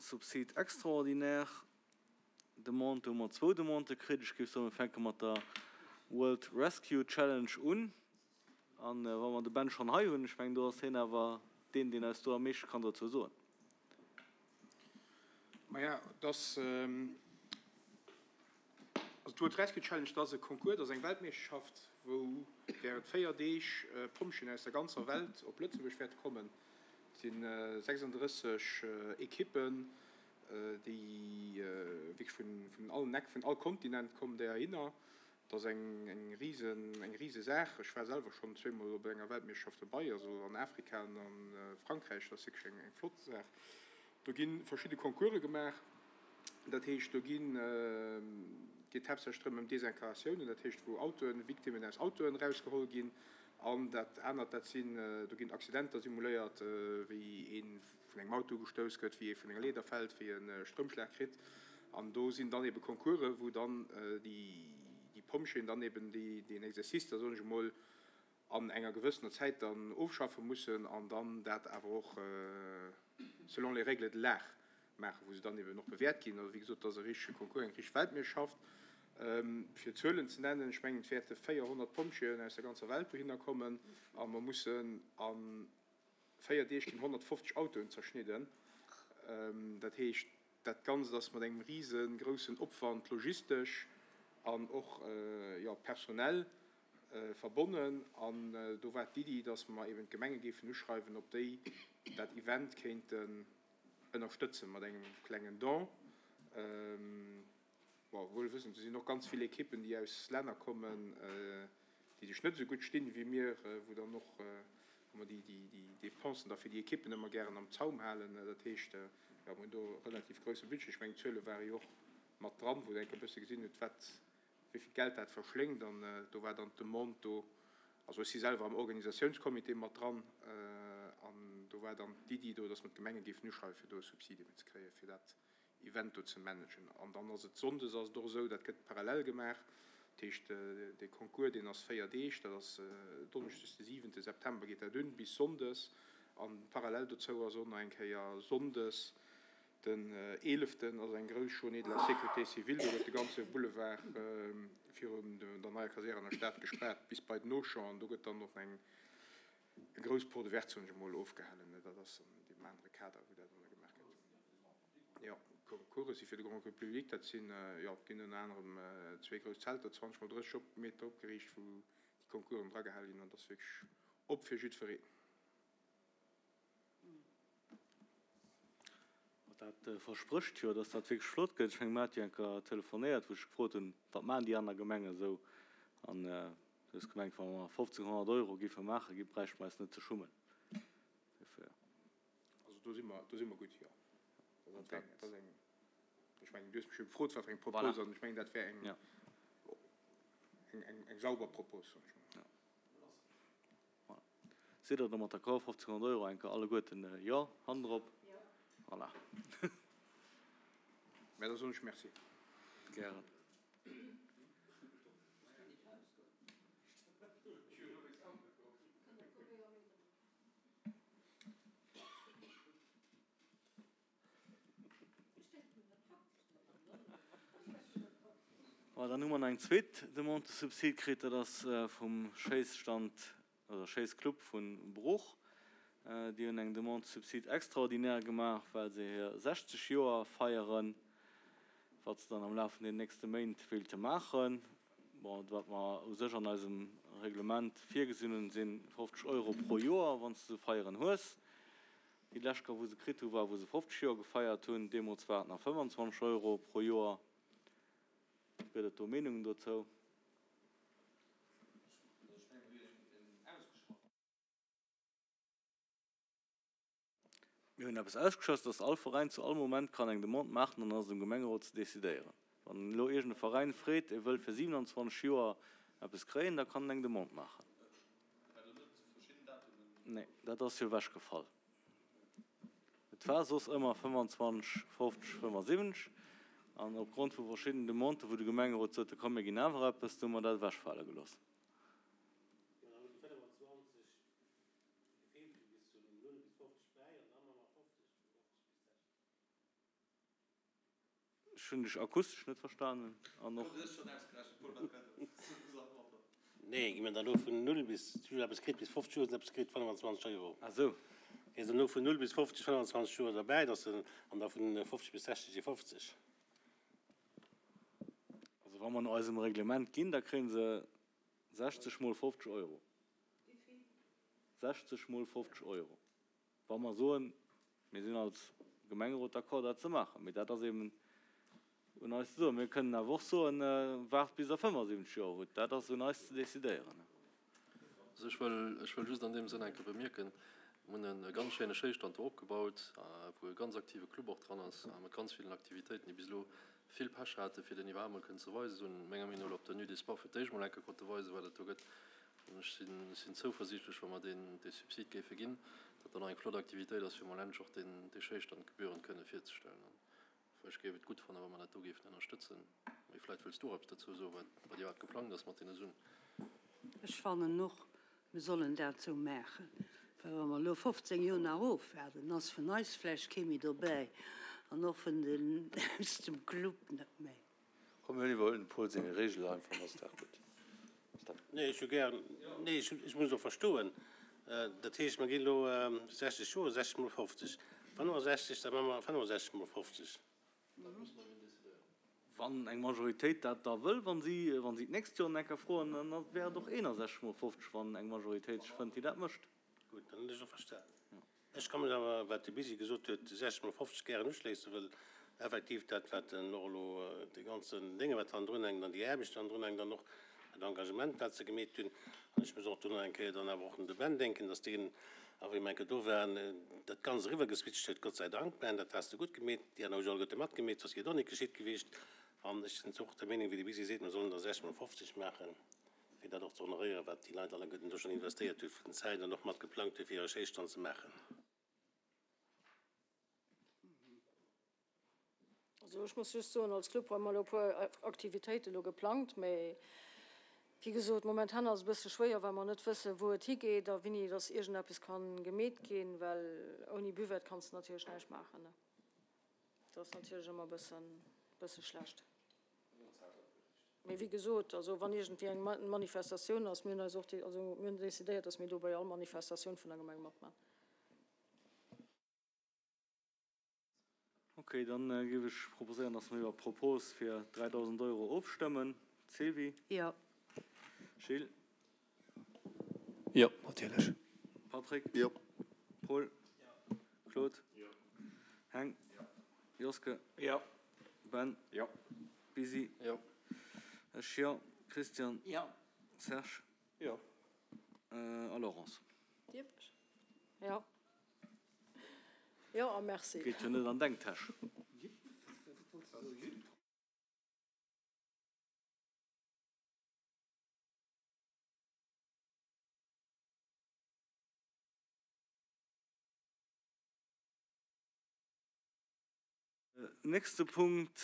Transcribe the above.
Subside extraordinaire Demande. Do hu mer zwou Demandë kritt. Ech géif soen, mir fänke mat der World Rescue Challenge un. A wa mer de Ben schonn hei hunn, ech mengen, do ass hien awer deen, deen eis do am meeschte kann dozou soen. Maja, et ass, also d'World Rescue Challenge, dat ass e Concours, dat ass eng Weltmeeschterschaft, wou während 4 Deeg Pompjeeën aus der ganzer Welt op Lëtzebuerg wäerte kommen. Et si 36 Ekippen, déi wierklech vun allen Eck, vun all Kontinent kommen déi heihinner. Et ass eng rise, eng rise Saach. Ech war selwer schonn zweemol op enger Weltmeeschterschaft dobei, also an Afrika an a Frankräich. Dat ass wierklech eng flott Saach. Do gi verschidde Concourse gemaach. Dat heescht, do ginn, geet haaptsächlech drëm ëm Desincaratiounen, dat heescht wou Autoen, Victimmen aus Autoen erausgeholl ginn. An dat anert, dat sinn, do ginn Accidenter simuléiert, wéi ee vun engem Auto ugestouss gëtt, wéi ee vun enger Leeder fält, wéi e Stroumschlag kritt. An do sinn dann ebe Concoursen, wou dann déi Pompjeeën dann eben deen Exercice da, soen ech emol, an enger gewëssener Zäit dann ofschaffe mussen an dann dat awer och selon les règles de l'art maachen, wou se dann eben och bewäert ginn. Also wéi gesot, dat ass e richtege Concours, eng richteg Weltmeeschterschaft. Fir Zuelen ze nennen, ech mengen, et wäerte 400 Pompjeeën aus der ganzer Welt dohinner kommen a mer mussen a 4 Deeg ginn 150 Autoen zerschnidden. Dat heescht, dat Ganzt ass mat engem risegroussen Opwand logistesch an och, jo, personell verbonnen. An do war d'Iddi, dass mer eben d'Gemenge géifen uschreiwen, ob déi dat Event kéinten ënnerstëtze mat engem klengen Don. Bon, wuel wëssend, do sinn och ganz vill Ekippen, déi aus Länner kommen, déi sech net esou gutt stinn wéi mir, wou dann och, wou mer déi Dépensen da fir déi Ekippen ëmmer gären am Zaum halen. Dat heescht, jo, mir hunn do e relativ grousse Budget. Ech mengen, d'Zuele ware jo och mat dran, wou Der enk e bësse gesinn hutt, wat, wéi vill Geld dat verschléngt. An do war dann d'Demande do, also ech si selwer am Organisatiounscomité mat dran, an do war dann d'Iddi do, dass mer d'Gemenge géifen uschreiwen, fir do e Subside ze kréien, fir dat Event do ze managen. An dann ass et sonndes ass et och esou, dat gëtt parallel gemaach. Dat heescht, dee Concours, deen ass 4 Deeg, dat ass donneschdes de siwente September geet dat un bis sonndes. An parallel dozou ass och nach eng Kéier sonndes den eeleften ass eng grouss Journée de la sécurité civile. Do gëtt de ganze Boulevard virun der neier Kasär an der Stad gespaart bis bei den Auchan. An do gëtt dann och eng grouss Porte ouverte, soen ech emol, ofgehalen. Dat ass an deem anere Kader, wou dat dann gemaach gëtt. Jo, Concourse si fir de Grand Public. Dat sinn, jo, et ginn ënner anerem zwee grouss Zelter, 20 mol 30 op Meter opgeriicht, wou déi Concoursen dragehale ginn. An dat ass wierklech op fir jiddwereen. Dat versprécht jo, dass dat wierklech flott gëtt. Ech menge mer hat jo eng Kéier telefonéiert, wou ech gefrot hunn, wat maachen déi aner Gemengen esou? An du hues gemengt, wa mer 1.500 Euro géife maachen, gi bräichte mer eis net ze schummen dofir. Also do si mer, do si mer gutt, jo. Dat ass eng, dat ass eng, ech mengen, du hues mech jo gefrot, wat fir eng Propos, an ech mengen, dat wär eng, eng, eng, eng sauber Propos, soen ech emol. Voilà. Sidd Der domat d'accord? 1.500 Euro enke alleguerten Jo, Hand erop. Voilà. Mä da soen ech Merci. Gären. Voilà, dann hu mer nach eng zweet Demande de subside kritt, dat ass vum Schéisstand oder Schéissclub vu Bruch. Déi hunn eng Demande de subside extraordinaire gemaach, well se hir 60 Joer feieren, wat se dann am Laf vun den nächste Méint wéilte maachen. Bon, wat mer u sech an eisem Reglement virgesinn hunn, si 50 Euro pro Joer, wann s de esou Feieren hues. Déi lescht Kéier wou se kritt hu war wou se 50 Joer gefeiert hunn. Deemools war et nach 25 Euro pro Joer. Gëtt et do Meenungen dozou? Mir hunn eppes ausgeschloss, dass all Veräin zu all Moment kann eng Demande maachen an dann ass et um Gemengerot ze decidéieren. Wann elo iergend e Veräin freet, e wëll fir 27 Joer eppes kréien, da kann en eng Demande maachen. Nee, dat ass jo ewechgefall. Et war soss ëmmer 25, 50, 75. An opgrond vu verschiddenen Demanden, wou de Gemengerot sot, komm mir ginn awer eppes, du hu mer dat ewechfale gelooss. Ech hunn dech akustesch net verstanen an och. Nee, gi mer da lo vun 0 bis, si hunn eppes kritt bis 50 Joer, hunn eppes kritt 25 Euro. Ah sou. Gees dann elo vun 0 bis 50, 25 Joer derbäi, dass de, an da vun 50 bis 60 si 50. Also wa mer no eisem Reglement ginn, da kréie se 60 mol 50 Euro. Wéivill? 60 mol 50 Euro. Wa mer soen, mir sinn als Gemengerot d'accord, dat ze maachen. Mee dat ass eben un eis ze soen. Mir kënnen awer och soen, waart bis Der 75 Joer hutt. Dat ass un eis ze decidéieren. Also ech wëll, ech wëll just an deem Sënn eng Kéier bemierken, mir hunn e ganz schéine Schéistand do opgebaut, wou e ganz aktive Club och dran ass, mat ganz villen Aktivitéiten, déi bis elo vill Pech hate fir deen iwwerhaapt mol kënnen ze weisen. Se hunn menger Meenung no elo op der Nuit des Sports fir d'éischt mol eng Kéier konnte weisen, wat et do gëtt. An ech sinn, ech sinn zouversiichtlech, wa mer deen, dee Subsid géife ginn, datt dat nach eng flott Aktivitéit ass, fir mol endlech och deen, dee Schéistand gebührend kënne virzestellen. An ech géif et gutt fannen, wa mer dat do géifen ënnerstëtzen. Mee vläicht wëlls du och eppes dozou soen, wat, wat iwwerhaapt geplangt ass mat deene Suen. Ech fannen och, mir sollen dat esou maachen, well wa mer elo 15 Joer nach ofwaarden, dann ass vun eis vläicht kee méi dobäi an och vun den aus dem Club net méi. Komm mir iwwerhuelen dem Paul seng Regel einfach an ass d'Saach gutt. Nee, ech hu gär, nee, ech, ech muss och verstoen. Dat heescht, mer ginn elo 60 Joer, 60 mol 50, 65, da maache mer 65 mol 50. Wann eng Majoritéit dat da wëll, wa si, wa si d'nächst Joer nach eng Kéier froen, dann wär et och 61 mol 50, wann eng Majoritéit sech fënnt, déi dat mécht. Gutt, dann hunn ech och verstanen. Ech ka mech awer, wat de Bisi gesot huet, 60 mol 50 gären uschléissen, wëll effektiv dat, wat en och elo, dee ganzen Dénge wat hannendrun hänkt an déi Aarbecht déi hannendrun hänkt an och dat Engagement, wat se gemeet hunn, an ech muss och do nach eng Kéier dann awer och un de Ben denken, dass deen awer, wéi mer eng Kéier do waren, dat Ganzt eriwwergeswitcht huet, Gott sei Dank, Ben, dat has de gutt gemeet, déi aner hu jo alleguerte matgemeet, soss wier et och net geschitt gewiescht. An ech sinn och der Meenung, wéi de Bisi seet, mer sollen der 60 mol 50 maachen. fir dat och ze honoréieren, wat déi Leit alleguerten do schonn investéiert hu vun Zäit an och mat geplangt hu fir hire Schéisstand ze maachen. Also ech muss just soen, als Club hu mer elo e puer Aktivitéiten elo geplangt, mä wéi gesot, momentan ass et e bësse schwéier, well mer net wëssen, wou et higeet a wéini dass iergendeppes ka gemeet ginn, well ouni Buvette kanns de natierlech näischt maachen. Dat ass natierlech ëmmer e bësse schlecht. Mee wéi gesot, also wann iergendwéi eng Manifestatioun ass, mir hunn eis och, also mir hunn decidéiert, datt mir do bei all Manifestatioun vun der Gemeng matman. Ok, dann géif ech proposéieren, datt mer iwwer d'Propos fir 3.000 Euro ofstëmmen. Sylvie? Jo. Gilles? Jo, natierlech. Patrick? Jo. Paul? Claude? Jo. Heng? Jo. Joske? Jo. Ben? Jo. Bisi? Jo. Ech jo. Christian? Jo. Serge? Jo. A Laurence? Dierf ech? Jo. Jo a merci. Geet jo net an deng Täsch. Nächste Punkt.